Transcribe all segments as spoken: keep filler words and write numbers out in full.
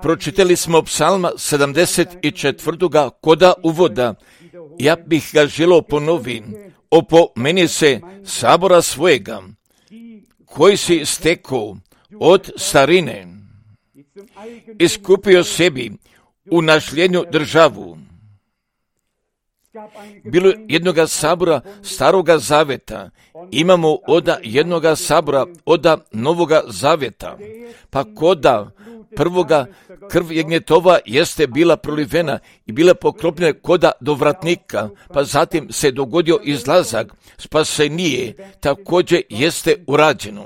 Pročitali smo psalma sedamdeset četvrtoga koda uvoda. Ja bih ga želio ponoviti. Opomeni se sabora svojega, koji si stekao od starine, iskupio sebi u nasljednju državu. Bilo je jednoga sabora staroga zaveta, imamo oda jednoga sabora oda novoga zaveta, pa koda prvoga krv jagnjetova jeste bila prolivena i bila pokropljena koda do vratnika, pa zatim se dogodio izlazak spasenije, također jeste urađeno.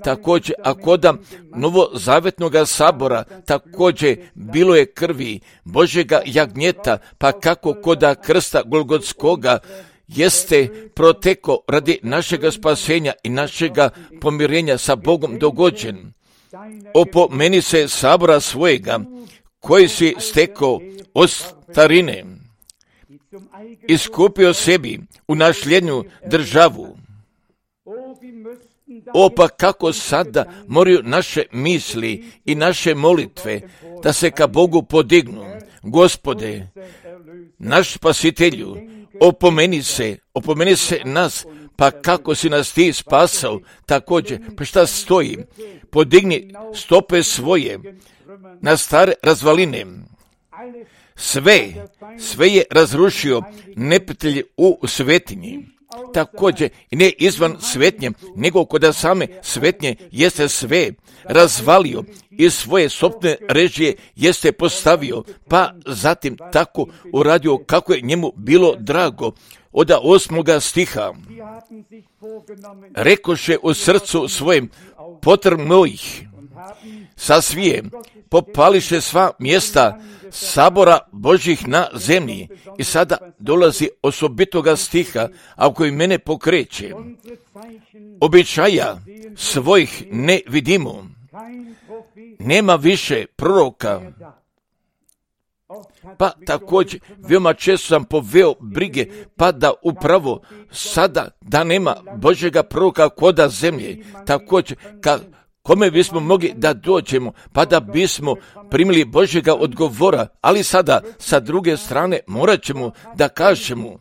Također, a koda novozavetnoga sabora također bilo je krvi Božjega jagnjeta, pa kako koda krsta Golgotskoga jeste proteko radi našega spasenja i našega pomirenja sa Bogom dogođen. Opomeni se sabora svojega, koji si stekao od starine, iskupio sebi u nasljednju državu. O, pa kako sada moraju naše misli i naše molitve da se ka Bogu podignu. Gospode, naš spasitelju, opomeni se, opomeni se nas, pa kako si nas ti spasao, također, pa šta stoji? Podigni stope svoje na stare razvaline. Sve, sve je razrušio neprijatelj u svetinji. Također, ne izvan svetnje, nego kod same svetnje jeste sve razvalio i svoje sopne režije jeste postavio, pa zatim tako uradio kako je njemu bilo drago. Od osmoga stiha. Rekoše u srcu svojem, potrebno ih sa svijem, popališe sva mjesta sabora Božjih na zemlji. I sada dolazi osobitoga stiha, a koji mene pokreće. Običaja svojih ne vidimo. Nema više proroka. Pa također, veoma često sam poveo brige, pa da upravo sada da nema Božjega proroka koda zemlje. Također, ka kome bismo mogli da dođemo, pa da bismo primili Božjega odgovora, ali sada sa druge strane morat ćemo da kažemo.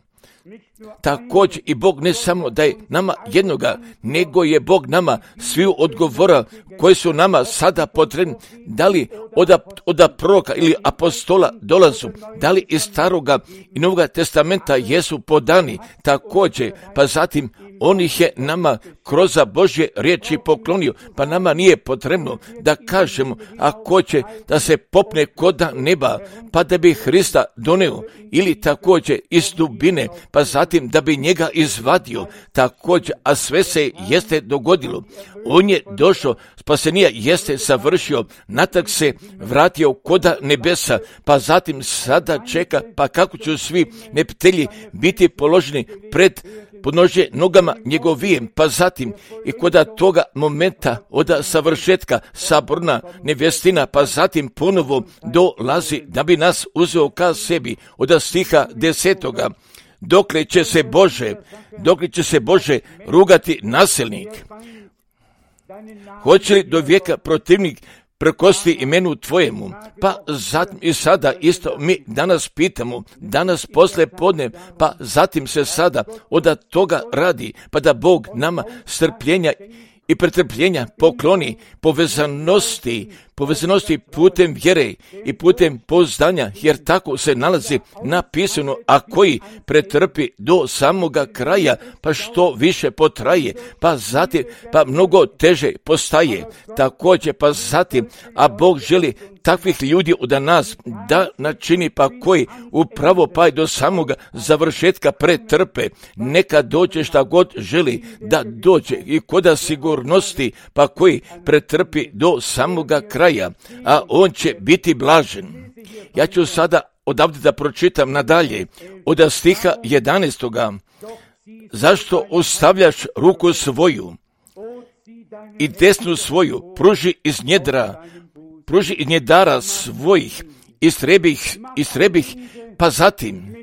Također i Bog ne samo da je nama jednoga, nego je Bog nama sviju odgovora koji su nama sada potrebni, da li od, od proroka ili apostola dolazu, da li iz staroga i novoga testamenta jesu podani, također, pa zatim on ih je nama kroz Božje riječi poklonio, pa nama nije potrebno da kažemo, ako će da se popne koda neba, pa da bi Hrista doneo, ili također iz dubine, pa zatim da bi njega izvadio, također, a sve se jeste dogodilo. On je došao, spasenija jeste savršio, natak se vratio koda nebesa, pa zatim sada čeka, pa kako će svi neprijatelji biti položeni pred podnože nogama njegovijem, pa zatim i kod toga momenta od savršetka saborna nevjestina, pa zatim ponovo dolazi da bi nas uzeo ka sebi od stiha desetoga. Dokle će se Bože, dokle će se Bože rugati nasilnik? Hoće li do vijeka protivnik prekosti imenu tvojemu? Pa zatim i sada isto mi danas pitamo, danas posle podne, pa zatim se sada od toga radi, pa da Bog nama strpljenja i pretrpljenja pokloni, povezanosti, povezanosti putem vjere i putem pouzdanja, jer tako se nalazi napisano, a koji pretrpi do samoga kraja, pa što više potraje, pa zatim, pa mnogo teže postaje. Također, pa zatim, a Bog želi takvih ljudi od nas da načini, pa koji upravo pa do samoga završetka pretrpe, neka dođe šta god želi da dođe i koda sigurnosti, pa koji pretrpi do samoga kraja, a on će biti blažen. Ja ću sada odavde da pročitam nadalje od stiha jedanaestoga. Zašto ostavljaš ruku svoju i desnu svoju pruži iz njedra, pruži iz njedara svojih, istrebih, istrebih, pa zatim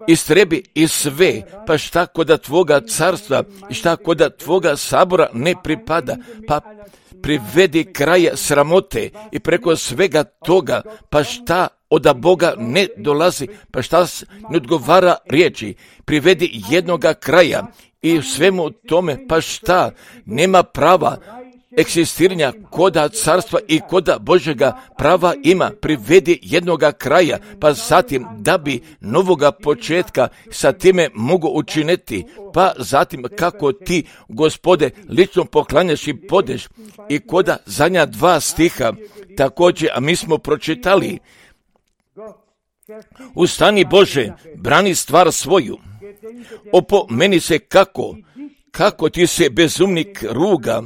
istrebi i sve, pa šta koda tvoga carstva i šta koda tvoga sabora ne pripada, pa privedi kraja sramote i preko svega toga, pa šta od Boga ne dolazi, pa šta ne odgovara riječi, privedi jednoga kraja i svemu tome, pa šta nema prava eksistiranja koda carstva i koda Božjega prava ima, privedi jednoga kraja, pa zatim da bi novoga početka sa time mogu učiniti, pa zatim kako ti, Gospode, lično poklanjaš i podeš i koda zadnja dva stiha, također, a mi smo pročitali, ustani Bože, brani stvar svoju, opomeni se kako, kako ti se bezumnik ruga,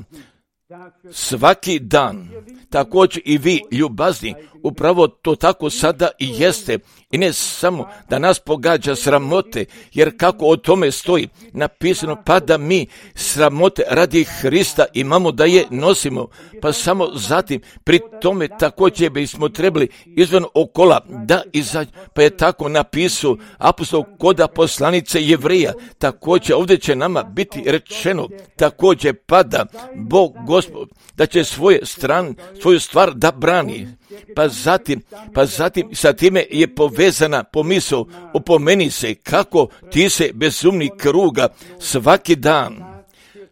svaki dan. Također i vi, ljubazni, upravo to tako sada i jeste. I ne samo da nas pogađa sramote, jer kako o tome stoji napisano, pa da mi sramote radi Hrista imamo da je nosimo, pa samo zatim pri tome također bismo trebali izvan okola da izađe, pa je tako napisao apostol koda poslanice Jevreja. Također ovdje će nama biti rečeno, također pada Bog Gospod da će svoje stran, svoju stvar da brani. Pa zatim, pa zatim sa time je povezana pomisao, opomeni se kako ti se bezumnik ruga svaki dan,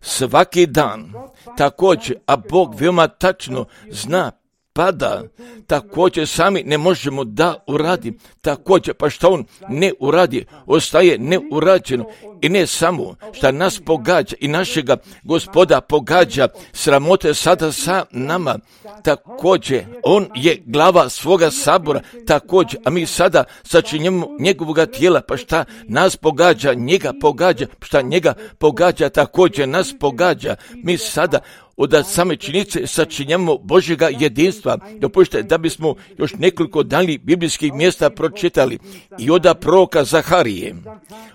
svaki dan. Također, a Bog veoma tačno zna, pada, također sami ne možemo da uradi, također pa što on ne uradi, ostaje neurađeno i ne samo što nas pogađa i našega Gospoda pogađa sramote sada sa nama, također on je glava svoga sabora, također, a mi sada sačinjemo njegovoga tijela, pa šta nas pogađa, njega pogađa, šta njega pogađa, također nas pogađa, mi sada od same činjenice sačinjamo Božjega jedinstva. Dopustite da bismo još nekoliko daljih biblijskih mjesta pročitali. I oda proroka Zaharije,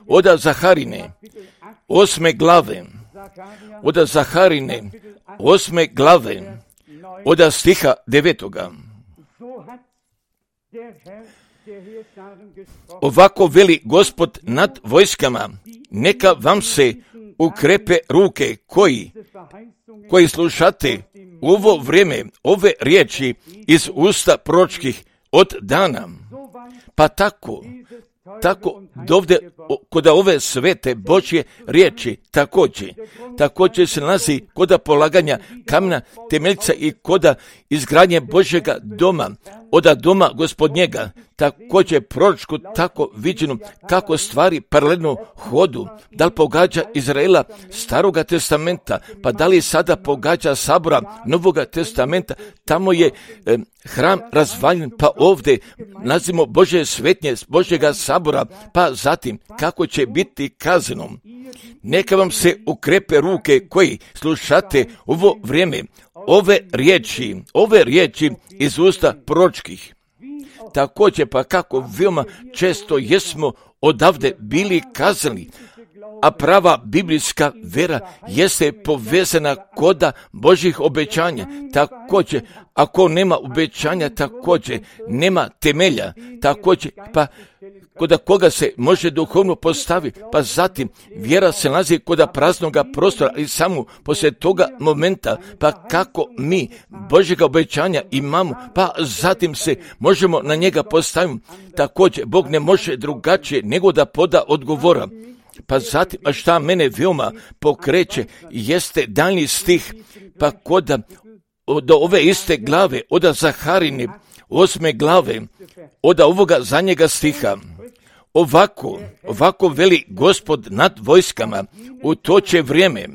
oda Zaharine, osme glave, oda Zaharine, osme glave, oda stiha devetoga. Ovako veli Gospod nad vojskama, neka vam se ukrepe ruke koji, koji slušate u ovo vrijeme, ove riječi iz usta proročkih od dana. Pa tako, tako dovde kod ove svete Božje riječi također, također se nalazi koda polaganja kamena temeljca i koda izgradnje Božjega doma, oda doma Gospodnjega, također proročku tako viđeno kako stvari paralelno hodu, da li pogađa Izraela Staroga testamenta, pa da li sada pogađa sabora Novoga testamenta, tamo je eh, hram razvaljen, pa ovdje nazivamo Božje svetnje Božjega sabora, pa zatim kako će biti kaznom. Neka vam se ukrepe ruke koji slušate ovo vrijeme, ove riječi, ove riječi iz usta proročkih. Također pa kako veoma često jesmo odavde bili kazali, a prava biblijska vera jeste povezana koda Božjih obećanja. Također, ako nema obećanja, također nema temelja, također pa koda koga se može duhovno postaviti, pa zatim vjera se nalazi koda praznoga prostora i samo poslije toga momenta, pa kako mi Božjega obećanja imamo, pa zatim se možemo na njega postaviti. Također, Bog ne može drugačije nego da poda odgovora. Pa zatim, a šta mene veoma pokreće, jeste daljnji stih, pa koda od ove iste glave, oda Zaharine, osme glave, oda ovoga zadnjega stiha. Ovako, ovako veli Gospod nad vojskama, u to će vrijeme,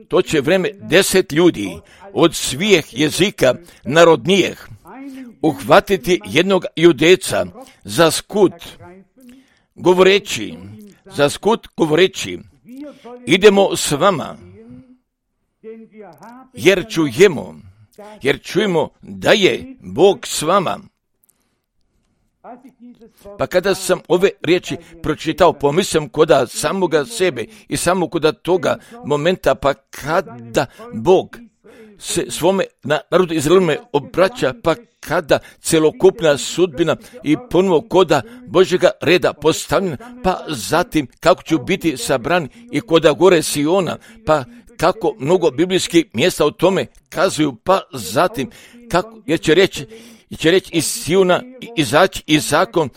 to će vrijeme deset ljudi od svih jezika narodnijih uhvatiti jednog judeca za skut, govoreći, za skut govoreći, idemo s vama, jer čujemo, jer čujemo da je Bog s vama. Pa kada sam ove riječi pročitao, pomislim koda samoga sebe i samo koda toga momenta, pa kada Bog se svome narodu Izraelome obraća, pa kada celokupna sudbina i ponovo koda Božjega reda postavljena, pa zatim kako ću biti sabran i koda gore Siona, pa kako mnogo biblijskih mjesta o tome kazuju, pa zatim, kako, jer će reći, će reći iz Siona izaći i zakon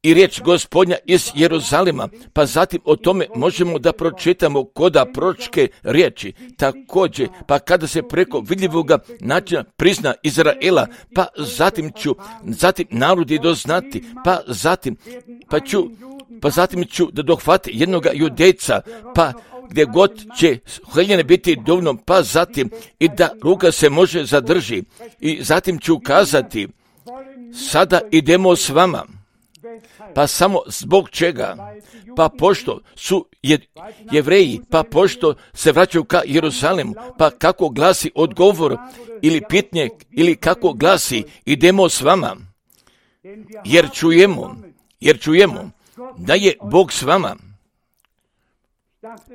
i riječ Gospodnja iz Jeruzalema, pa zatim o tome možemo da pročitamo koda proročke riječi. Također, pa kada se preko vidljivoga načina prizna Izraela, pa zatim ću, zatim narodi doznati, pa zatim, pa ću, pa zatim ću da dohvati jednoga judejca, pa gdje god će heljene biti dovoljno, pa zatim i da ruka se može zadrži. I zatim ću kazati, sada idemo s vama. Pa samo zbog čega? Pa pošto su je, Jevreji, pa pošto se vraćaju ka Jeruzalemu, pa kako glasi odgovor ili pitanje, ili kako glasi idemo s vama. Jer čujemo, jer čujemo da je Bog s vama.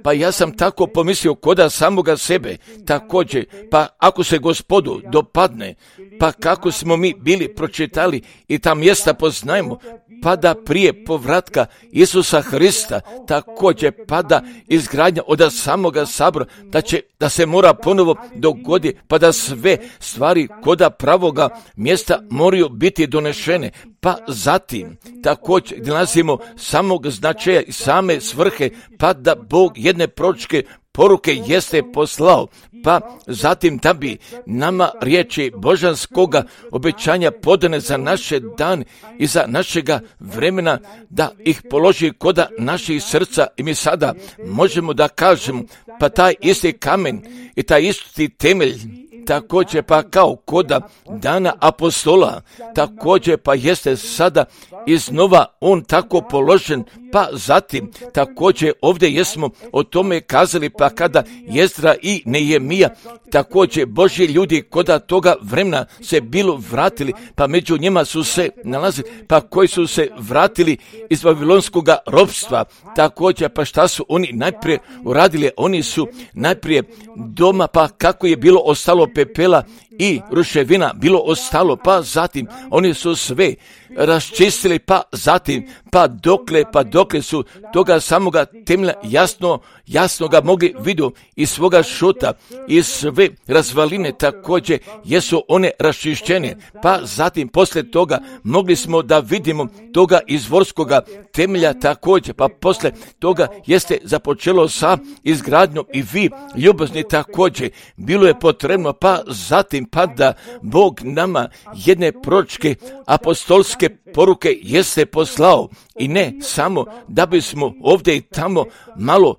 Pa ja sam tako pomislio koda samoga sebe, također, pa ako se Gospodu dopadne, pa kako smo mi bili pročitali i ta mjesta poznajemo, pa da prije povratka Isusa Hrista, također pada izgradnja od samoga sabora, da će, da se mora ponovo dogoditi, pa da sve stvari koda pravoga mjesta moraju biti donešene, pa zatim također gdje nalazimo samog značaja i same svrhe, pa da Bog jedne proročke poruke jeste poslao, pa zatim da bi nama riječi božanskoga obećanja podane za naše dan i za našega vremena, da ih položi koda naših srca i mi sada možemo da kažemo, pa taj isti kamen i taj isti temelj, također pa kao koda dana apostola, također pa jeste sada iznova on tako položen, pa zatim također ovdje jesmo o tome kazali, pa kada Jezdra i Nehemija, također Božji ljudi koda toga vremena se bilo vratili, pa među njima su se nalazili, pa koji su se vratili iz babilonskog ropstva, također pa šta su oni najprije uradili? Oni su najprije doma, pa kako je bilo ostalo pepela i ruševina bilo ostalo, pa zatim oni su sve raščistili, pa zatim, pa dokle, pa dokle su toga samoga temelja jasno, jasno ga mogli vidjeti iz svoga šuta i sve razvaline također jesu one raščišćene, pa zatim poslije toga mogli smo da vidimo toga izvorskoga temelja također, pa poslije toga jeste započelo sa izgradnjom i vi ljubazni također bilo je potrebno, pa zatim pa da Bog nama jedne proročke apostolske poruke jeste poslao i ne samo da bismo ovdje i tamo malo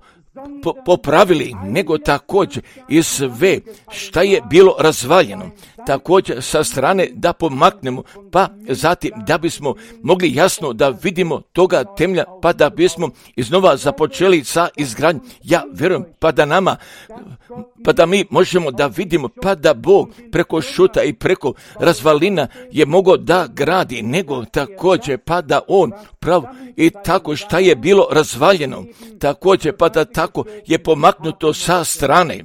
po- popravili, nego također i sve šta je bilo razvaljeno, također sa strane da pomaknemo, pa zatim da bismo mogli jasno da vidimo toga temelja, pa da bismo iznova započeli sa izgradnjom. Ja vjerujem, pa da nama, pa da mi možemo da vidimo, pa da Bog preko šuta i preko razvalina je mogao da gradi, nego također pa da on pravo i tako šta je bilo razvaljeno, također pa da tako je pomaknuto sa strane.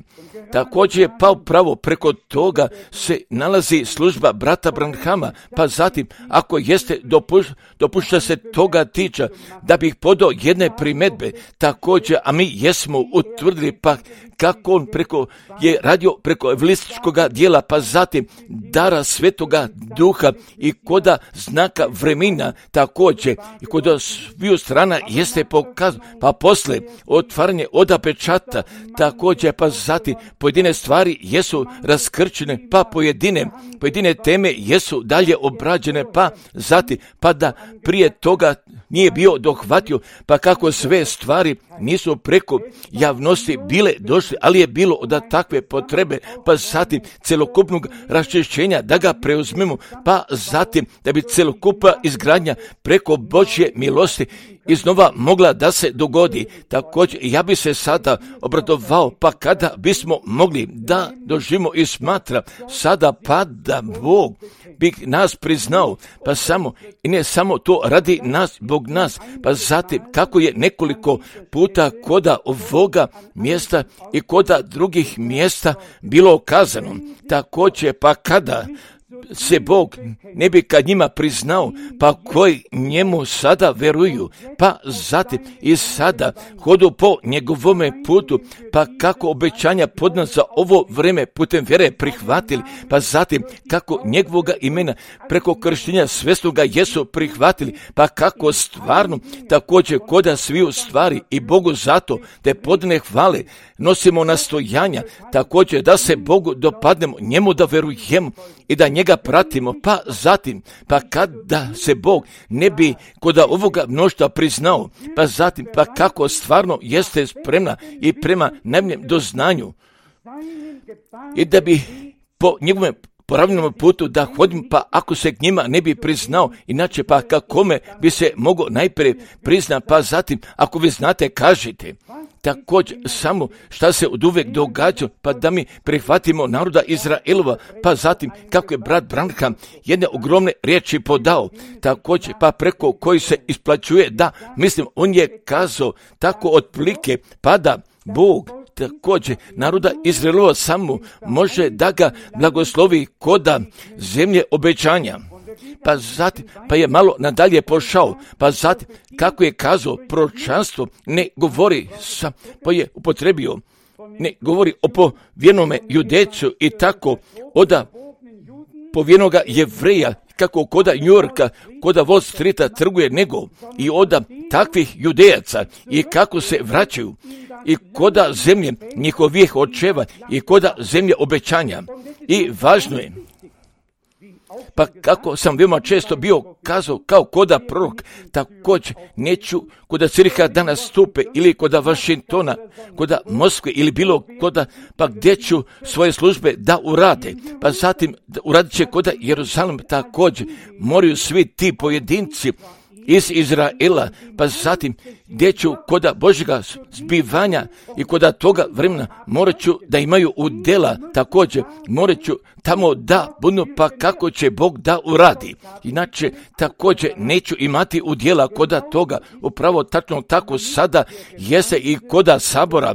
Također pa upravo preko toga se nalazi služba brata Branhama, pa zatim ako jeste dopuš, dopušta se toga tiča da bih podao jedne primjedbe, također, a mi jesmo utvrdili pa kako on preko je radio preko evangelističkog dijela, pa zatim dara Svetoga Duha i koda znaka vremena također i koda sviju strana jeste pokazano, pa posle otvaranje oda pečata također, pa zatim pojedine stvari jesu raskrčene, pa pojedine, pojedine teme jesu dalje obrađene, pa zatim pa da prije toga nije bio dohvatio, pa kako sve stvari nisu preko javnosti bile došle, ali je bilo od takve potrebe, pa zatim celokupnog raščišćenja da ga preuzmemo, pa zatim da bi celokupna izgradnja preko Božje milosti iznova mogla da se dogodi. Također ja bi se sada obradovao, pa kada bismo mogli da doživimo i smatra sada pa da Bog bi nas priznao, pa samo i ne samo to radi nas, Bog nas, pa zatim kako je nekoliko puta koda ovoga mjesta i koda drugih mjesta bilo kazano. Također pa kada se Bog ne bi kad njima priznao, pa koji njemu sada veruju, pa zatim i sada hodu po njegovome putu, pa kako obećanja podna za ovo vreme putem vjere prihvatili, pa zatim kako njegovoga imena preko krštenja svesnoga jesu prihvatili, pa kako stvarno također koda sviju stvari i Bogu zato te podne hvale nosimo nastojanja, također da se Bogu dopadnemo, njemu da verujemo i da njega pratimo, pa zatim, pa kada se Bog ne bi koda ovoga mnoštva priznao, pa zatim, pa kako stvarno jeste spremna i prema najboljem doznanju i da bi po njegovom pravilnom putu da hodim, pa ako se k njima ne bi priznao, inače pa kakome bi se mogao najprije prizna, pa zatim, ako vi znate, kažite. Također, samo šta se od uvijek događa, pa da mi prihvatimo naroda Izraelova, pa zatim, kako je brat Branham jedne ogromne riječi podao, također, pa preko koji se isplaćuje, da, mislim, on je kazao tako otprilike, pa da Bog također naroda Izraelova samo može da ga blagoslovi koda zemlje obećanja. Pa zatim, pa je malo nadalje pošao, pa zatim, kako je kazao, proročanstvo ne govori sa, pa je upotrebio, ne govori o povjenome Judecu i tako, oda povjenoga Jevreja, kako koda New Yorka, koda Wall Streeta trguje nego i oda takvih Judejaca i kako se vraćaju i koda zemlje njihovih očeva i koda zemlje obećanja. I važno je, pa kako sam veoma često bio kazao kao koda prorok, također neću koda Ciriha da nastupe ili koda Vašingtona, koda Moskve ili bilo koda, pa gdje ću svoje službe da urade, pa zatim uradit će koda Jeruzalem također, moraju svi ti pojedinci iz Izraela, pa zatim gdje ću koda Božjega zbivanja i koda toga vremena morat ću da imaju udjela, također morat ću tamo da budu, pa kako će Bog da uradi. Inače također neću imati udjela koda toga, upravo tačno tako sada jeste i koda sabora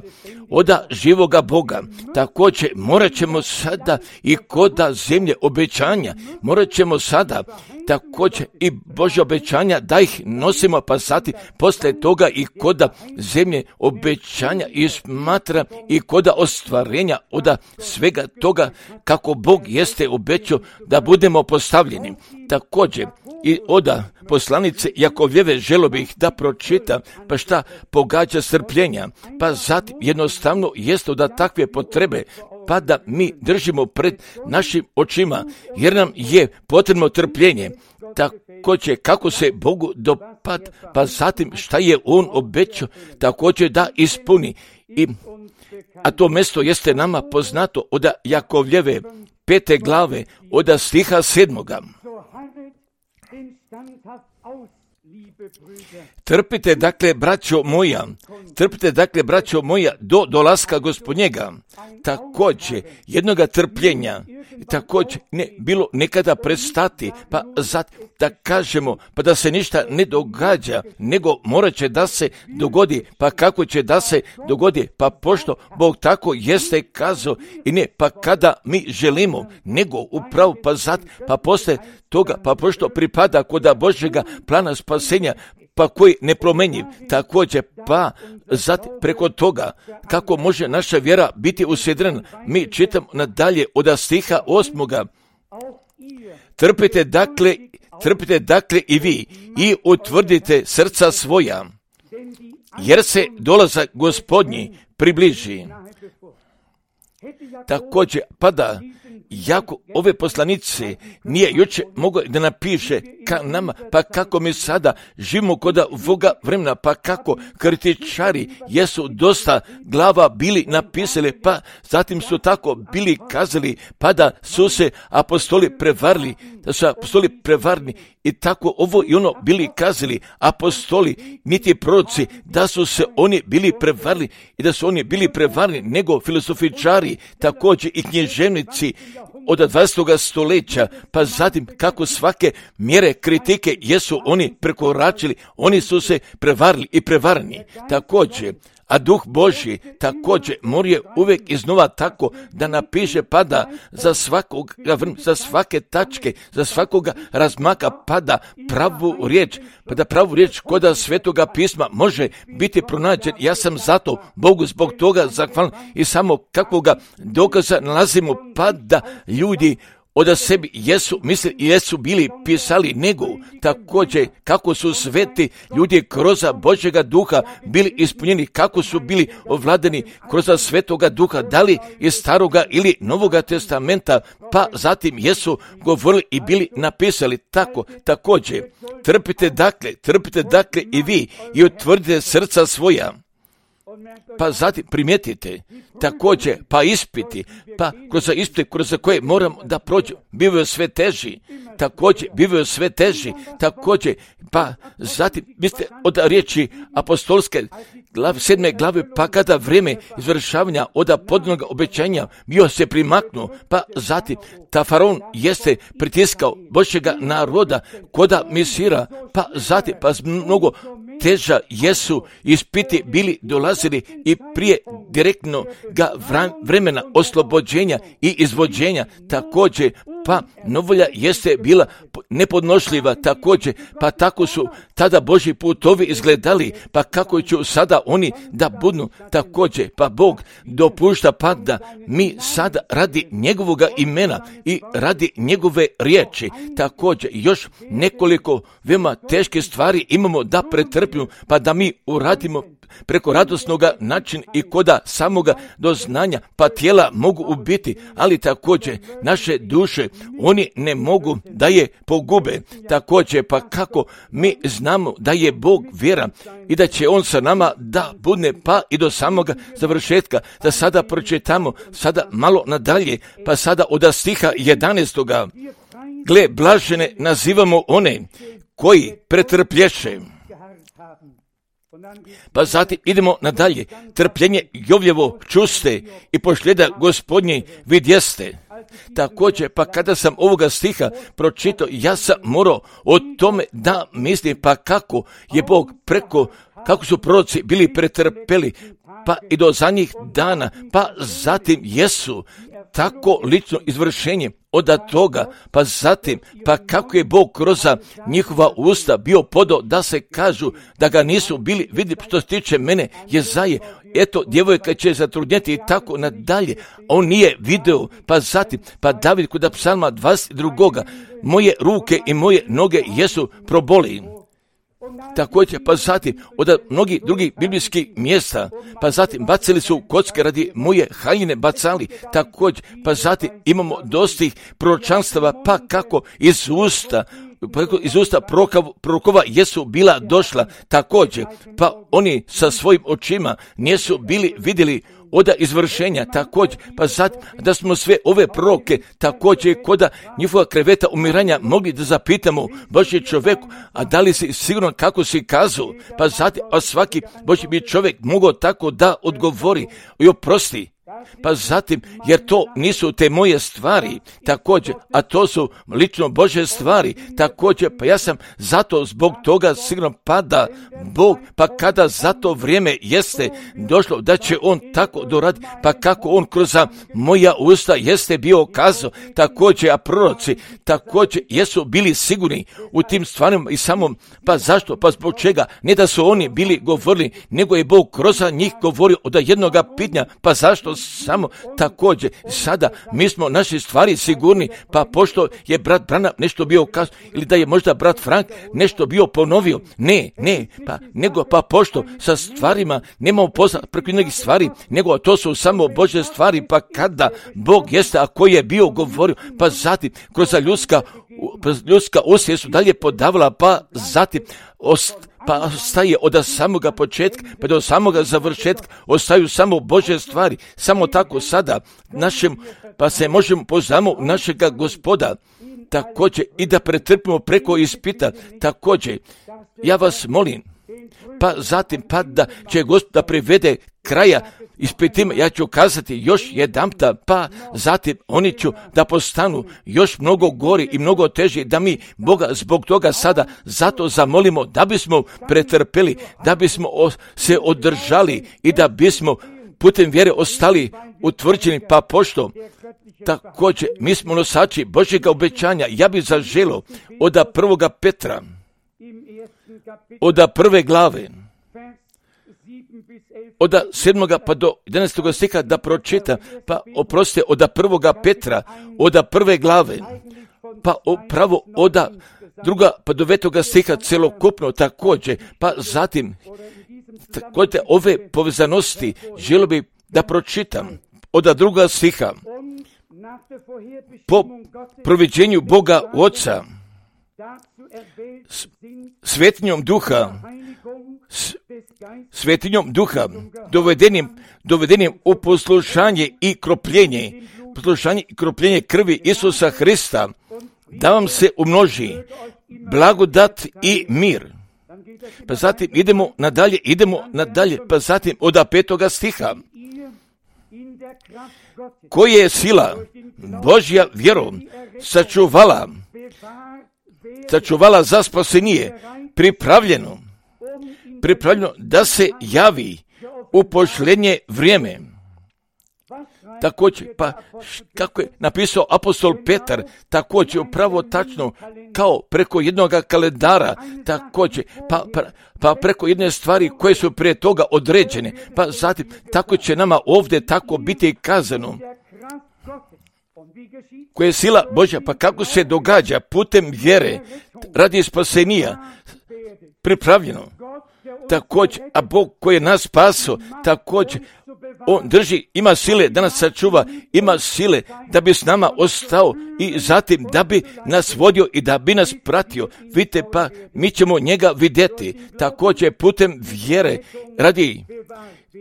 oda živoga Boga. Također morat ćemo sada i koda zemlje obećanja, morat ćemo sada također i Božje obećanja da ih nosimo, pa sati poslije toga i koda zemlje obećanja i smatra i koda ostvarenja oda svega toga kako Bog jeste obećao da budemo postavljeni. Također i oda poslanice Jakovljeve želo bih da pročitam, pa šta pogađa strpljenja, pa zatim jednostavno jeste da takve potrebe pa da mi držimo pred našim očima, jer nam je potrebno trpljenje. Također kako se Bogu dopad, pa zatim šta je On obećao, također da ispuni. I, a to mjesto jeste nama poznato od Jakovljeve pete glave, od stiha sedmoga. Trpite dakle, braćo moja, trpite dakle, braćo moja, do dolaska Gospodnjega. Također, jednoga trpljenja, također ne bilo nekada prestati, pa zat, da kažemo, pa da se ništa ne događa, nego morat će da se dogodi, pa kako će da se dogodi, pa pošto Bog tako jeste kazao i ne, pa kada mi želimo, nego upravo pa zat, pa posle toga, pa pošto pripada koda Božjega plana spasenja, pa koji nepromenjiv, također pa zatim preko toga kako može naša vjera biti usedrena. Mi čitamo nadalje od stiha osmoga. Trpite dakle, trpite dakle i vi i utvrdite srca svoja, jer se dolazak Gospodnji približi. Također pada jako ove poslanice nije jučer mogao da napiše ka nama, pa kako mi sada živimo kod ovoga vremena, pa kako kritičari jesu dosta glava bili napisali, pa zatim su tako bili kazali, pa da su se apostoli prevarili, da su apostoli prevarni i tako ovo i ono bili kazali, apostoli, niti proroci, da su se oni bili prevarili i da su oni bili prevarni, nego filosofičari, također i književnici od dvadesetog stoljeća, pa zatim kako svake mjere kritike jesu oni prekoračili, oni su se prevarili i prevarni. Također, a Duh Božji također mora uvijek iznova tako da napiše pada za svakog, za svake tačke, za svakoga razmaka pada pravu riječ, pa da pravu riječ koda Svetoga pisma može biti pronađen. Ja sam zato Bogu zbog toga zahvalan i samo kakvoga dokaza nalazimo pa da ljudi od sebi jesu misli i jesu bili pisali, nego također kako su sveti ljudi kroz Božjega duha bili ispunjeni, kako su bili ovladani kroz Svetoga duha, da li iz Staroga ili Novoga testamenta, pa zatim jesu govorili i bili napisali tako. Također trpite dakle, trpite dakle i vi i utvrdite srca svoja. Pa zatim primijetite, također, pa ispiti, pa kroz ispite kroz koje moramo da prođu, bivaju sve teži, također, bivaju sve teži, također, pa zatim, mislite od riječi apostolske glav, sedme glave, pa kada vrijeme izvršavanja od podnog obećanja bio se primaknuo, pa zatim, ta faraon jeste pritiskao Božjega naroda koda misira, pa zatim, pa mnogo teža jesu ispiti bili dolazili i prije direktno ga vremena oslobođenja i izvođenja, također pa novolja jeste bila nepodnošljiva, također pa tako su tada Božji putovi izgledali, pa kako će sada oni da budu, također pa Bog dopušta pa da mi sada radi njegovoga imena i radi njegove riječi, također još nekoliko veoma teške stvari imamo da pretrpimo, pa da mi uradimo preko radosnoga način i koda samoga doznanja, pa tijela mogu ubiti, ali također naše duše oni ne mogu da je pogube, također pa kako mi znamo da je Bog vjera i da će On sa nama da budne pa i do samoga završetka, da sada pročitamo sada malo nadalje, pa sada od stiha jedanaestoga. Gle, blažene nazivamo one koji pretrplješe. Pa zatim idemo nadalje. Trpljenje Jovljevo čuste i pošljeda Gospodnje vidjeste. Također, pa kada sam ovoga stiha pročitao, ja sam morao o tome da mislim, pa kako je Bog preko, kako su proroci bili pretrpeli, pa i do zadnjih dana, pa zatim jesu tako lično izvršenje od toga, pa zatim, pa kako je Bog kroz njihova usta bio podao da se kažu da ga nisu bili, vidi što se tiče mene, Jezaje, eto, djevojka će zatrudnjeti i tako nadalje, on nije video, pa zatim, pa David kod psalma dvadeset dva, moje ruke i moje noge jesu proboli. Također, pa zatim, od mnogih drugih biblijskih mjesta, pa zatim, bacili su kocke radi moje haljine bacali, također, pa zatim, imamo dostih proročanstava, pa kako iz usta, iz usta prorokova jesu bila došla, također, pa oni sa svojim očima nisu bili vidjeli od izvršenja, također, pa zatim da smo sve ove proroke, također koda njihova kreveta umiranja mogli da zapitamo Božji čovjeku, a da li si sigurno kako si kazao, pa zatim, a svaki Božji bi čovjek mogao tako da odgovori i oprosti. Pa zatim, jer to nisu te moje stvari, također, a to su lično Božje stvari, također, pa ja sam zato zbog toga sigurno pada Bog, pa kada za to vrijeme jeste došlo da će On tako doraditi, pa kako On kroz moja usta jeste bio kazao, također, a proroci također jesu bili sigurni u tim stvarima i samom, pa zašto, pa zbog čega, ne da su oni bili govorili, nego je Bog kroz njih govorio od jednoga pitanja, pa zašto samo također sada mi smo naše stvari sigurni, pa pošto je brat Branham nešto bio kazao ili da je možda brat Frank nešto bio ponovio, ne, ne, pa nego pa pošto sa stvarima nemamo posla preko nekih stvari, nego to su samo Božje stvari, pa kada Bog jeste, a koji je bio govorio, pa zatim kroz ljudska, ljudska usje su dalje podavala, pa zatim ost, pa ostaje od samoga početka pa do samoga završetka, ostaju samo Božje stvari, samo tako sada našem, pa se možemo poznamo našega Gospoda, također i da pretrpimo preko ispita, također, ja vas molim, pa zatim pa da će Gospod da privede kraja ispitima, ja ću kazati još jedanputa, pa zatim oni ću da postanu još mnogo gori i mnogo teži, da mi Boga zbog toga sada zato zamolimo da bismo pretrpeli, da bismo se održali i da bismo putem vjere ostali utvrđeni, pa pošto također mi smo nosači Božjega obećanja. Ja bih zaželio od prvoga Petra, od prve glave, od sedmoga pa do jedanaestoga stiha da pročita, pa oprostite, od prvoga Petra, od prve glave, pa upravo od druga pa do devetoga stiha celokupno također, pa zatim također ove povezanosti želio bi da pročitam od druga stiha. Po proviđenju Boga Oca, svetinjom duha, svetinjom duha, dovedenim, dovedenim u poslušanje i kropljenje, poslušanje i kropljenje krvi Isusa Hrista, da vam se umnoži blagodat i mir. Pa zatim idemo nadalje, idemo nadalje, pa zatim od petoga stiha. Koja je sila Božja vjerom sačuvala, sačuvala za spasenije, pripravljeno, pripravljeno da se javi u posljednje vrijeme. Također, pa kako je napisao apostol Petar, također upravo tačno kao preko jednog kalendara, također, pa, pa, pa preko jedne stvari koje su prije toga određene, pa zatim tako će nama ovdje tako biti kazano. Koja je sila Božja, pa kako se događa putem vjere radi spasenija, pripravljeno. Također, a Bog koji je nas spasio, također, On drži, ima sile da nas sačuva, ima sile da bi s nama ostao i zatim da bi nas vodio i da bi nas pratio. Vidite, pa mi ćemo njega vidjeti. Također putem vjere radi,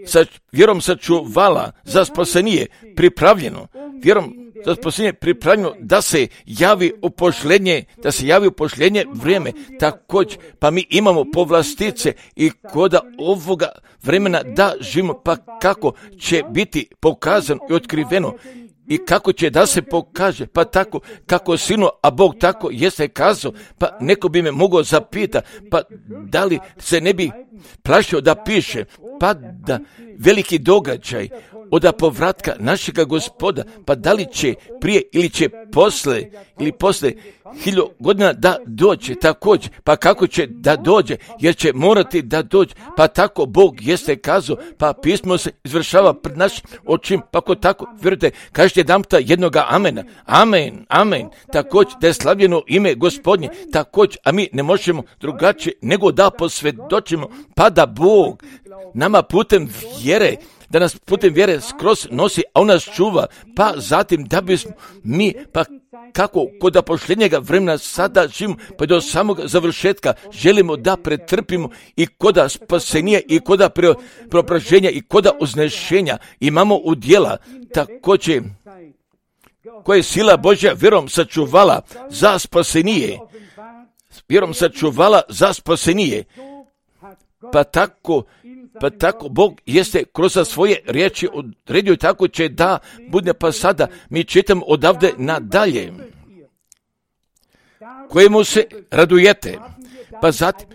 sa vjerom sačuvala za spasenije, pripravljeno, vjerom za spasenije pripravljeno da se javi u posljednje, da se javi u posljednje vrijeme. Također, pa mi imamo povlastice i koda ovoga vremena da živimo, pa kako će biti pokazano i otkriveno i kako će da se pokaže, pa tako kako sinu, a Bog tako jeste kazao, pa neko bi me mogao zapita, pa da li se ne bi plašio da piše, pa da veliki događaj od povratka našega Gospoda, pa da li će prije ili će posle, ili posle hiljadu godina da dođe također, pa kako će da dođe, jer će morati da dođe, pa tako Bog jeste kazao, pa pismo se izvršava pred našim očima, pa ko tako, vjerujte, kažete jedanputa jednoga amena, amen, amen, također da je slavljeno ime Gospodnje, također, a mi ne možemo drugačije nego da posvjedočimo, pa da Bog nama putem vjere, da nas putem vjere skroz nosi, a on nas čuva, pa zatim da bismo mi, pa kako kod posljednjega vremena sada živimo, pa do samog završetka želimo da pretrpimo i koda spasenija i koda preobraženja i koda uznešenja imamo udjela, također koje je sila Božja vjerom sačuvala za spasenije, vjerom sačuvala za spasenije, pa tako Pa tako Bog jeste kroz svoje riječi odredio, tako će da bude, pa sada mi čitamo odavde nadalje. Kojemu se radujete, pa zatim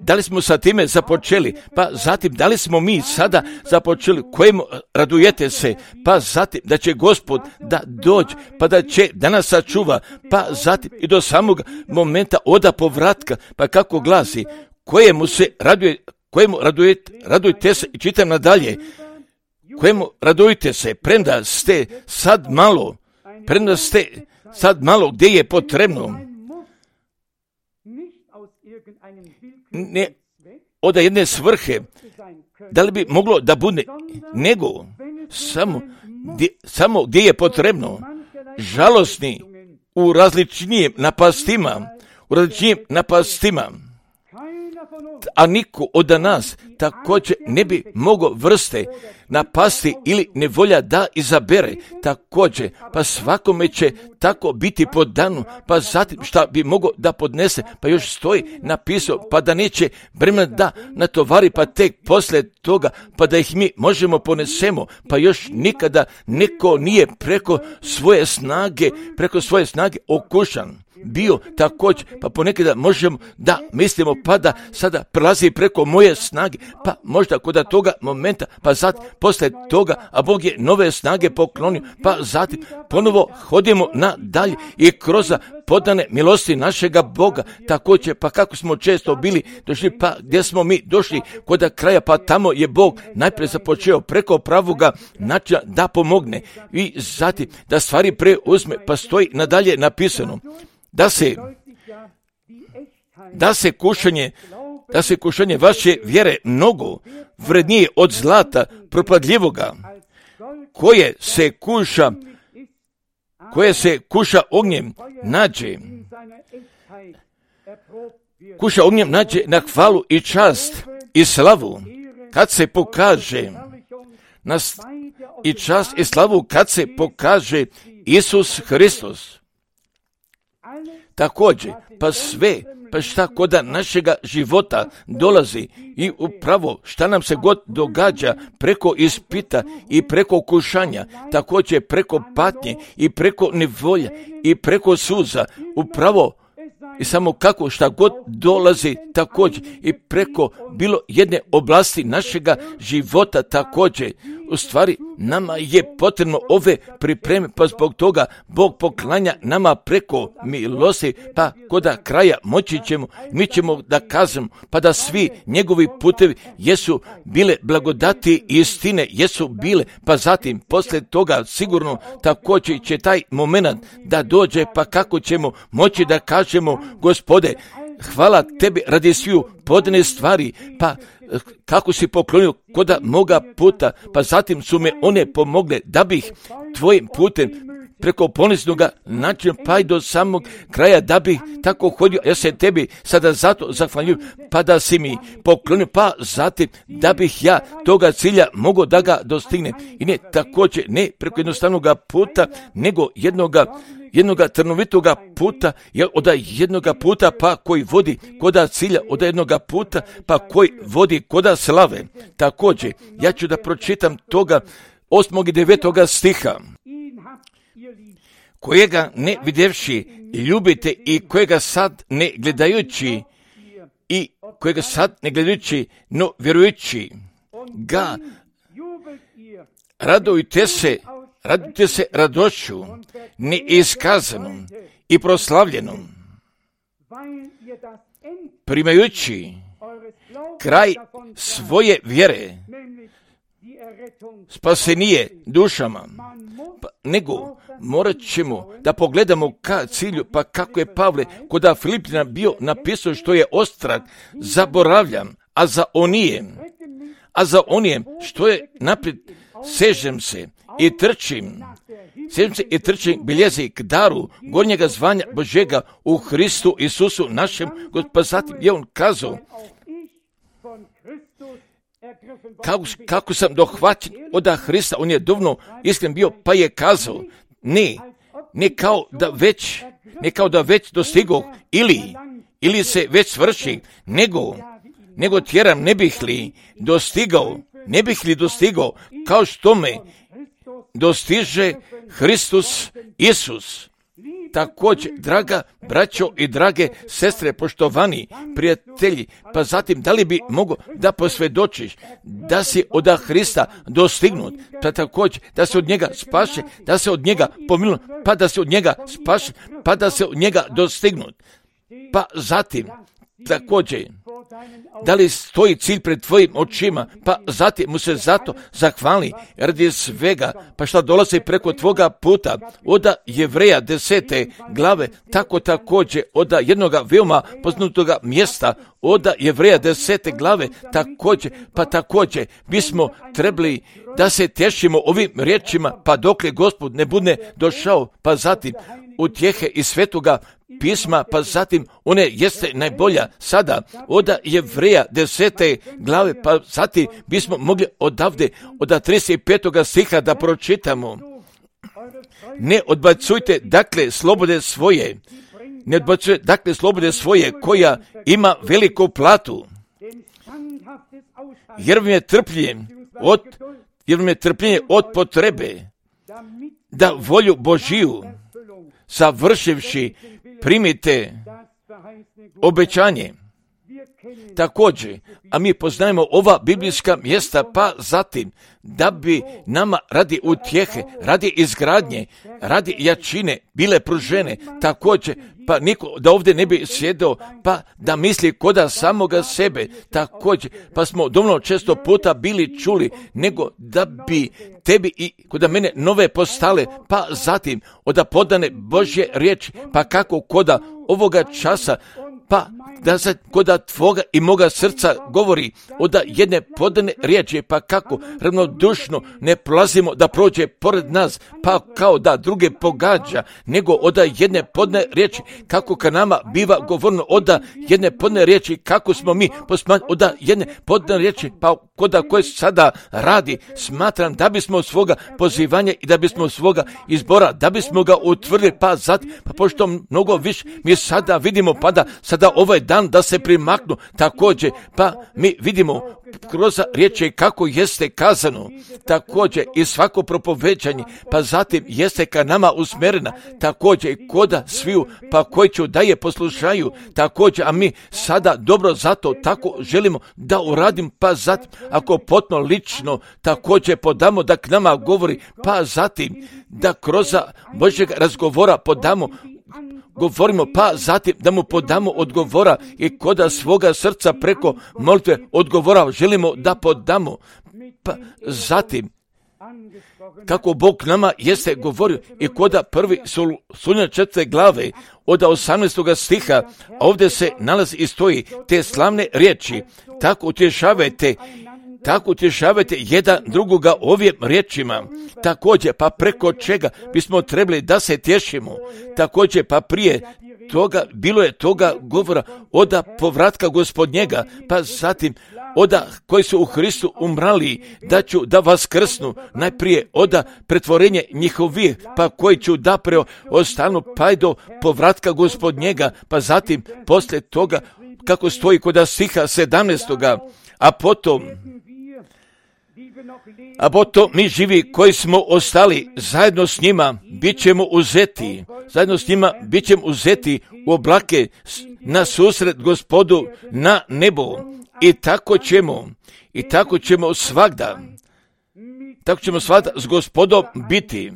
da li smo sa time započeli, pa zatim da li smo mi sada započeli, kojemu radujete se, pa zatim da će Gospod da dođe, pa da će da nas sačuva, pa zatim i do samog momenta oda povratka, pa kako glasi, kojemu se raduje, kojemu radujete, radujte se i čitam nadalje, kojemu radujte se, premda ste sad malo, premda ste sad malo gdje je potrebno, ne od jedne svrhe, da li bi moglo da bude, nego samo gdje, samo gdje je potrebno, žalosni u različnijim napastima, u različnijim napastima, a niko od nas također ne bi mogao vrste napasti ili nevolja da izabere također, pa svakome će tako biti po danu, pa zatim šta bi mogao da podnese, pa još stoji napisao, pa da neće vremena da natovari, pa tek poslije toga, pa da ih mi možemo ponesemo, pa još nikada neko nije preko svoje snage, preko svoje snage okušan bio također, pa ponekada možemo da mislimo, pa da sada prelazi preko moje snage, pa možda kod toga momenta, pa zatim poslije toga, a Bog je nove snage poklonio, pa zatim ponovo hodimo nadalje i kroz podane milosti našega Boga, također, pa kako smo često bili došli, pa gdje smo mi došli kod kraja, pa tamo je Bog najprije započeo preko pravoga načina da pomogne i zatim da stvari preuzme, pa stoji nadalje napisano da se da se kušanje da se kušanje vaše vjere mnogo vrednije od zlata propadljivoga, koje se kuša koje se kuša ognjem nađe kuša ognjem nađe na hvalu i čast i slavu kad se pokaže nas i čast i slavu kad se pokaže Isus Hristos. Također, pa sve, pa šta koda našega života dolazi i upravo šta nam se god događa preko ispita i preko kušanja, također preko patnje i preko nevolja i preko suza, upravo i samo kako šta god dolazi također i preko bilo jedne oblasti našega života također. U stvari nama je potrebno ove pripreme, pa zbog toga Bog poklanja nama preko milosti, pa koda kraja moći ćemo, mi ćemo da kažemo, pa da svi njegovi putevi jesu bile blagodati i istine, jesu bile, pa zatim poslije toga sigurno također će taj moment da dođe, pa kako ćemo moći da kažemo, Gospode, hvala tebi radi sviju podane stvari, pa kako si poklonio koda moga puta, pa zatim su me one pomogle da bih tvojim putem preko poniznoga načina pa i do samog kraja da bih tako hodio. Ja se tebi sada zato zahvaljujem, pa da si mi poklonio, pa zatim da bih ja toga cilja mogao da ga dostignem. I ne također ne preko jednostavnoga puta, nego jednoga jednoga trnovitoga puta, od jednoga puta pa koji vodi koda cilja, od jednoga puta pa koji vodi koda slave. Također, ja ću da pročitam toga osmog i devetoga stiha. Kojega ne vidjevši ljubite i kojega sad ne gledajući i kojega sad ne gledajući, no vjerujući ga, radujte se, radujte se radošću neiskazanom i proslavljenom, primajući kraj svoje vjere, spasenije dušama, pa, nego morat ćemo da pogledamo ka cilju, pa kako je Pavle kod Filipljana bio napisao što je ostrag, zaboravljam, a za onijem, a za onijem što je naprijed, sežem se i trčim, sežem se i trčim biljezi k daru gornjega zvanja Božega u Hristu Isusu našem, pa zatim je on kazao, Kako, kako sam dohvaćen od Hrista, on je duvno iskren bio, pa je kazao, ne, ne kao da već, ne kao da već dostigao, ili, ili se već svrši, nego, nego tjeram, ne bih li dostigao, ne bih li dostigao, kao što me dostiže Hristos Isus. Također, draga braćo i drage sestre, poštovani prijatelji, pa zatim da li bi mogo da posvjedočiš da si od Hrista dostignut, pa također da se od njega spaše, da se od njega pomiluje, pa da se od njega spaše, pa da se od njega dostignut. Pa zatim, također, da li stoji cilj pred tvojim očima, pa zatim mu se zato zahvali radi svega, pa šta dolazi preko tvoga puta, od Jevreja desete glave, tako također od jednoga veoma poznatoga mjesta, od Jevreja desete glave, također, pa također bismo trebali da se tešimo ovim riječima, pa dokle Gospod ne bude došao, pa zatim utjehe iz Svetoga pisma, pa zatim one jeste najbolja sada od Jevreja desete glave, pa zatim bismo mogli odavde od trideset petog stiha da pročitamo. Ne odbacujte dakle slobode svoje, ne odbacujte dakle slobode svoje koja ima veliku platu, jer vam je trpljenje od, jer vam je trpljenje od potrebe da volju Božiju savršivši primite obećanje. Također, a mi poznajemo ova biblijska mjesta, pa zatim da bi nama radi utjehe, radi izgradnje, radi jačine bile pružene, također, pa niko da ovdje ne bi sjedao, pa da misli koda samoga sebe, također, pa smo dovoljno često puta bili čuli, nego da bi tebi i koda mene nove postale, pa zatim oda podane Božje riječi, pa kako koda ovoga časa, pa da se koda tvoga i moga srca govori oda jedne podane riječi, pa kako ravnodušno ne prolazimo da prođe pored nas, pa kao da druge pogađa, nego oda jedne podane riječi, kako ka nama biva govorno oda jedne podane riječi, kako smo mi posmanjeni oda jedne podane riječi, pa koda koje sada radi, smatram da bismo svoga pozivanja i da bismo svoga izbora, da bismo ga utvrdili, pa zatim, pa pošto mnogo više mi sada vidimo, pa da sada ovaj dan da se primaknu, također, pa mi vidimo kroz riječi kako jeste kazano, također i svako propoveđanje, pa zatim jeste ka nama usmjerena, također i koda sviju, pa koji ću da je poslušaju, također, a mi sada dobro zato tako želimo da uradim, pa zatim, ako potno lično, također podamo da k nama govori, pa zatim da kroz Božjeg razgovora podamo govorimo, pa zatim da mu podamo odgovora i koda svoga srca preko molitve odgovora želimo da podamo, pa zatim kako Bog nama jeste govorio i koda prvi Solunjana četvrte glave od osamnaestog stiha, a ovdje se nalazi i stoji te slavne riječi, tako utješavajte, tako utješavajte jedan drugoga ovim riječima, također pa preko čega bismo trebali da se tješimo, također pa prije toga bilo je toga govora oda povratka Gospodnjega, pa zatim oda koji su u Hristu umrali, da ću da vas krsnu, najprije oda pretvorenje njihovih, pa koji ću da preo ostanu pa do povratka Gospodnjega, pa zatim poslije toga kako stoji kod stiha sedamnaestoga, a potom A potom mi živi koji smo ostali zajedno s njima bit ćemo uzeti, zajedno s njima bit ćemo uzeti u oblake na susret Gospodu na nebo i tako ćemo, i tako ćemo svagda, tako ćemo svagda s Gospodom biti.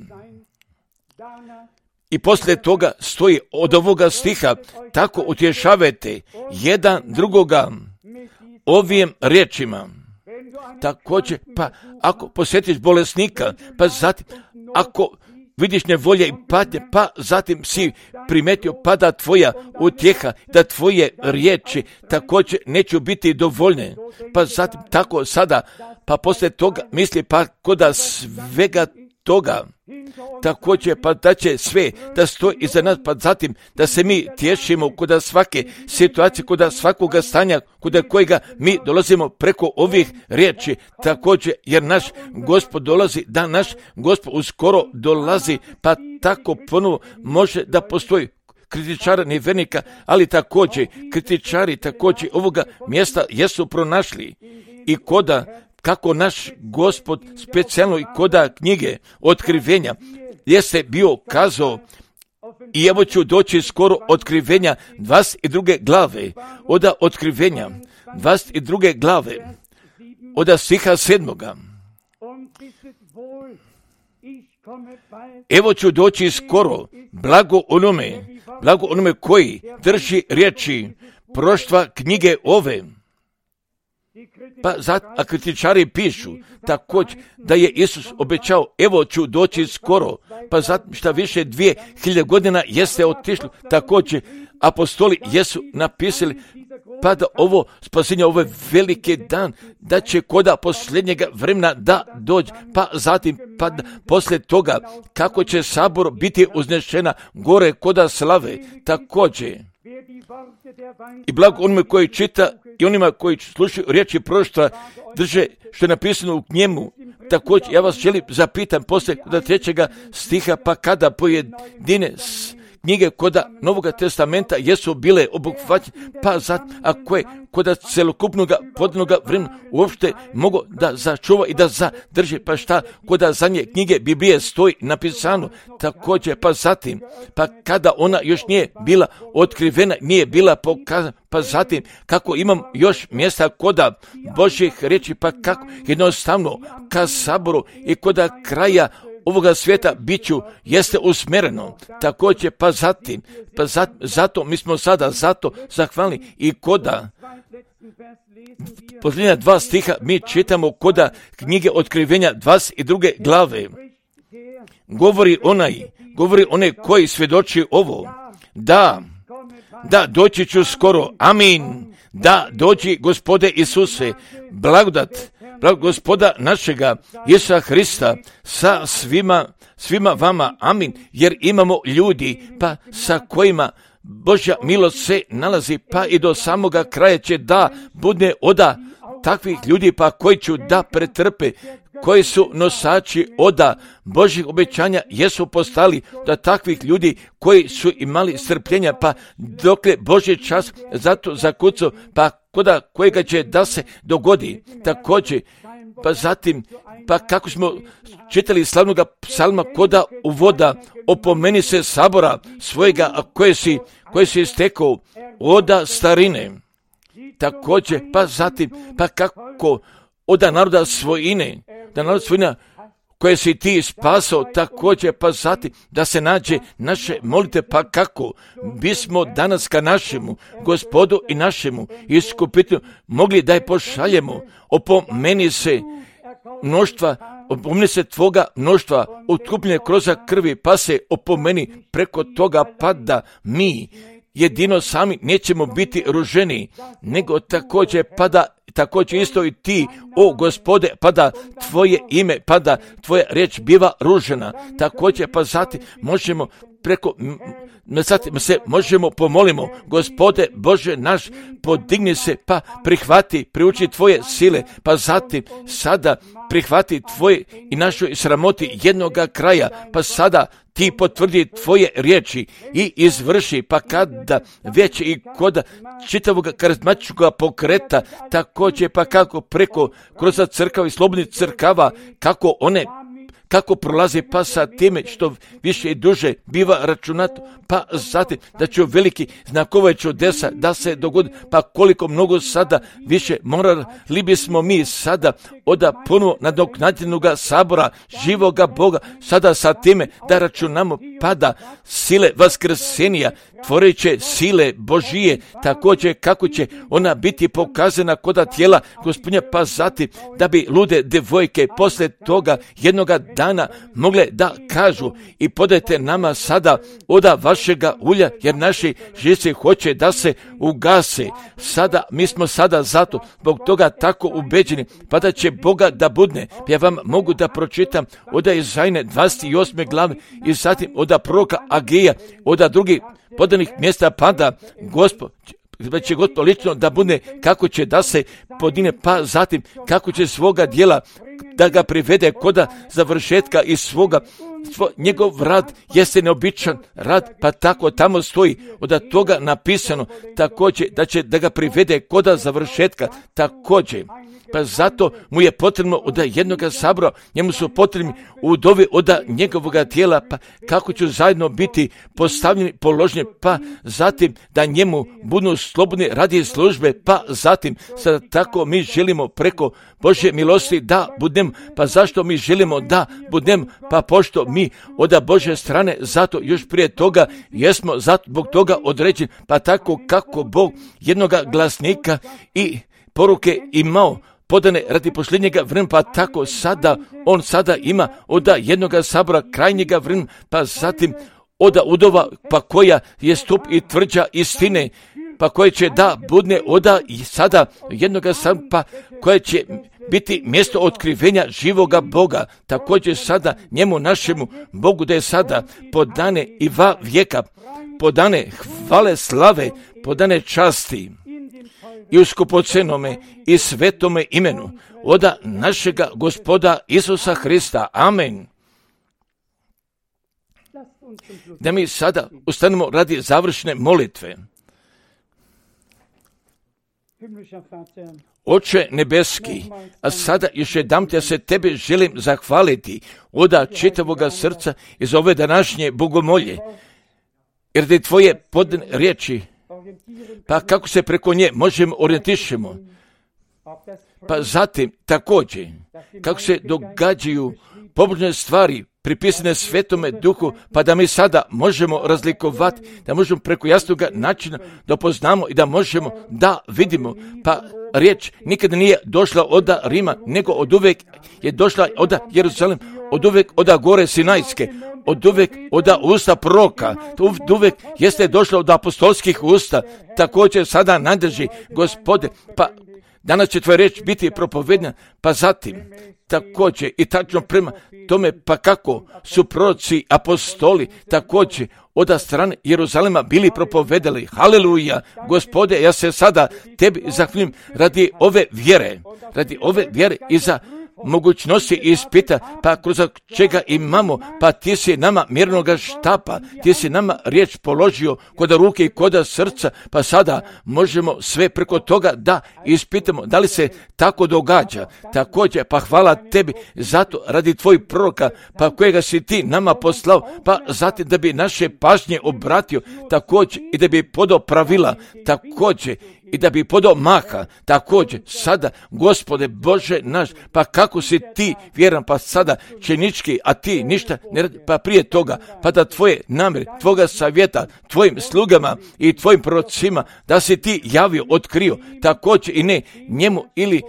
I poslije toga stoji od ovoga stiha, tako utješavajte jedan drugoga ovim riječima. Također, pa ako posjetiš bolesnika, pa zatim, ako vidiš nevolje i patnje, pa zatim si primetio, pa da tvoja utjeha, da tvoje riječi također neću biti dovoljne, pa zatim tako sada, pa poslije toga misli, pa koda svega toga, također pa da će sve da stoji iza nas, pa zatim da se mi tješimo kod svake situacije, kod svakoga stanja, kod kojega mi dolazimo preko ovih riječi, također jer naš Gospod dolazi, da naš Gospod uskoro dolazi, pa tako ponovo može da postoji kritičara nevernika, ali također kritičari također ovoga mjesta jesu pronašli i koda kako naš Gospod specijalno i koda knjige otkrivenja jeste bio kazao, i evo ću doći skoro otkrivenja dvadeset druge glave, oda otkrivenja dvadeset druge glave, oda stiha sedmoga. Evo ću doći skoro, blago onome, blago onome koji drži riječi proštva knjige ove. Pa zato, a kritičari pišu također da je Isus obećao, evo ću doći skoro, pa zato šta više dvije hiljade godina jeste otišlo, također apostoli jesu napisali, pa da ovo spasenje, ovo je veliki dan, da će koda posljednjega vremena da dođe, pa zatim, pa da poslije toga, kako će sabor biti uznešena gore koda slave, također. I blago onima koji čita i onima koji slušaju riječi proroštva, drže što je napisano u njemu. Također, ja vas želim zapitam poslije koda trećega stiha, pa kada pojedine knjige koda Novoga testamenta jesu bile obuhvaćene, pa za, ako je koda celokupnog podnoga vremena uopšte mogu da začuva i da zadrži, pa šta koda za nje knjige Biblije stoji napisano, također, pa zatim, pa kada ona još nije bila otkrivena, nije bila pokazana, pa zatim, kako imam još mjesta koda Božjih riječi, pa kako jednostavno ka saboru i koda kraja ovoga svijeta biću jeste usmjereno, također pa zatim, pa zat, zato mi smo sada zato zahvalni i koda posljednja dva stiha mi čitamo koda knjige Otkrivenja dvadeset druge glave. Govori onaj, govori onaj koji svjedoči ovo, da, da doći ću skoro, amin, da doći Gospode Isuse, blagodat, blagodat Gospoda našega Isusa Hrista sa svima, svima vama, amin, jer imamo ljudi pa sa kojima Božja milost se nalazi, pa i do samoga kraja će da bude oda takvih ljudi pa koji će da pretrpe, koji su nosači oda Božjih obećanja, jesu postali da takvih ljudi koji su imali strpljenja, pa dokle Božji čas zato zakucao, pa koda kojega će da se dogodi. Također, pa zatim, pa kako smo čitali slavnoga psalma koda uvoda, opomeni se sabora svojega, a koje si, koje si istekao oda starine. Također, pa zatim, pa kako oda naroda svojine, da narod svojina koje si ti spasao, također pa zatim da se nađe naše molite, pa kako bismo danas ka našemu Gospodu i našemu iskupitelju mogli da je pošaljemo, opomeni se mnoštva, opomeni se tvoga mnoštva otkupljenje kroz krvi, pa se opomeni preko toga, pa da mi jedino sami nećemo biti ruženi, nego također pa da također isto i ti, o Gospode, pa da tvoje ime, pa da tvoja riječ biva ružena. Također pa zatim možemo preko, zatim se možemo pomolimo, Gospode Bože naš, podigni se, pa prihvati, priuči tvoje sile, pa zatim sada prihvati tvoje i našoj sramoti jednoga kraja, pa sada ti potvrdi tvoje riječi i izvrši, pa kada već i kod čitavog karizmatičkog pokreta, također pa kako preko kroz crkava i slobodnih crkava, kako one kako prolazi, pa sa time što više i duže biva računato, pa zatim da će veliki znakove čudesa da se dogodi, pa koliko mnogo sada više morali bismo mi sada oda ponovo nadoknadljenoga sabora živoga Boga, sada sa time da računamo, pa da sile vaskrsenija, tvoreće sile Božije, također kako će ona biti pokazana koda tijela Gospodnja, pa zatim da bi lude devojke posle toga jednoga dana mogle da kažu i podajte nama sada oda vašega ulja, jer naši živci hoće da se ugase. Sada, mi smo sada zato, zbog toga tako ubeđeni, pa da će Boga da budne. Ja vam mogu da pročitam oda Izajne dvadeset osme glave i zatim oda proroka Agija, oda drugih podanih mjesta, pa da Gospod da će Gospod lično da bude kako će da se podine, pa zatim kako će svoga djela da ga privede koda završetka i svoga svo, njegov rad jeste neobičan rad, pa tako tamo stoji od toga napisano također da će da ga privede koda završetka također. Pa zato mu je potrebno od jednoga sabora, njemu su potrebni udovi od njegovoga tijela, pa kako će zajedno biti postavljeni, položeni, pa zatim da njemu budu slobodni radi službe, pa zatim sada tako mi želimo preko Božje milosti da budem, pa zašto mi želimo da budem, pa pošto mi od Božje strane, zato još prije toga jesmo zato zbog toga određeni, pa tako kako Bog jednoga glasnika i poruke imao podane radi posljednjega vremena, pa tako sada, on sada ima oda jednoga sabora krajnjega vremena, pa zatim oda udova, pa koja je stup i tvrđa istine, pa koje će da budne oda i sada jednoga sabora, pa koje će biti mjesto otkrivenja živoga Boga, također sada njemu našemu Bogu da je sada podane i va vijeka, podane hvale slave, podane časti i u skupocenome i svetome imenu oda našega Gospoda Isusa Hrista. Amen. Da mi sada ustanemo radi završne molitve. Oče nebeski, a sada još jednom ja se tebe želim zahvaliti oda čitavoga srca iz ove današnje bogomolje, jer da je tvoje podne riječi, pa kako se preko nje možemo orijentišemo, pa zatim također kako se događaju pobožne stvari pripisane Svetome Duhu, pa da mi sada možemo razlikovati, da možemo preko jasnog načina da poznamo i da možemo da vidimo, pa riječ nikada nije došla od Rima, nego od uvek je došla od Jeruzalem, od uvek od gore Sinajske, od uvek od usta proroka, od uvek jeste došla od apostolskih usta, također sada nadrži Gospode, pa danas će tvoja riječ biti propovedna, pa zatim također i tačno prema tome, pa kako su proroci, apostoli također od strane Jeruzalema bili propovedali. Haleluja, Gospode, ja se sada tebi zahvaljujem radi ove vjere, radi ove vjere i za mogućnosti ispita, pa kroz čega imamo, pa ti si nama mirnoga štapa, ti si nama riječ položio kod ruke i kod srca, pa sada možemo sve preko toga da ispitamo da li se tako događa. Također, pa hvala tebi zato radi tvojih proroka, pa kojega si ti nama poslao, pa zatim da bi naše pažnje obratio, također i da bi podao pravila, također i da bi podao maha, također sada, Gospode Bože naš, pa kako si ti vjeran, pa sada činički, a ti ništa ne radi, pa prije toga, pa da tvoje namjere, tvoga savjeta, tvojim slugama i tvojim prorocima, da si ti javio, otkrio, također i ne njemu ili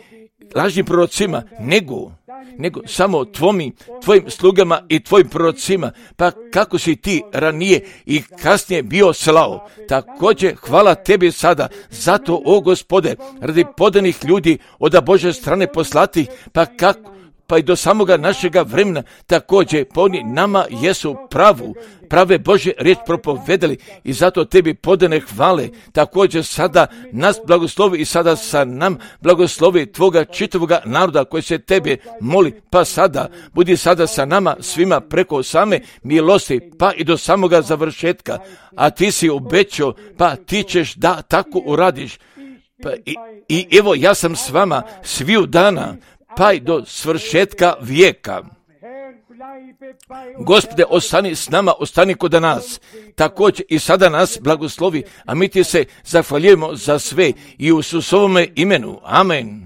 lažnim prorocima, nego nego samo tvojim, tvojim slugama i tvojim prorocima, pa kako si ti ranije i kasnije bio slao. Također hvala tebi sada, zato o Gospode, radi podanih ljudi od Božje strane poslati, pa kako pa i do samoga našega vremena također pa oni nama jesu pravu, prave Božje riječ propovedali i zato tebi podane hvale. Također sada nas blagoslovi i sada sa nam blagoslovi tvoga čitavoga naroda koji se tebe moli, pa sada budi sada sa nama svima preko same milosti, pa i do samoga završetka, a ti si obećao, pa ti ćeš da tako uradiš. Pa i, i evo ja sam s vama sviju dana, pa i do svršetka vijeka. Gospode, ostani s nama, ostani kod nas. Također i sada nas blagoslovi, a mi ti se zahvaljujemo za sve i u Isusovome imenu. Amen.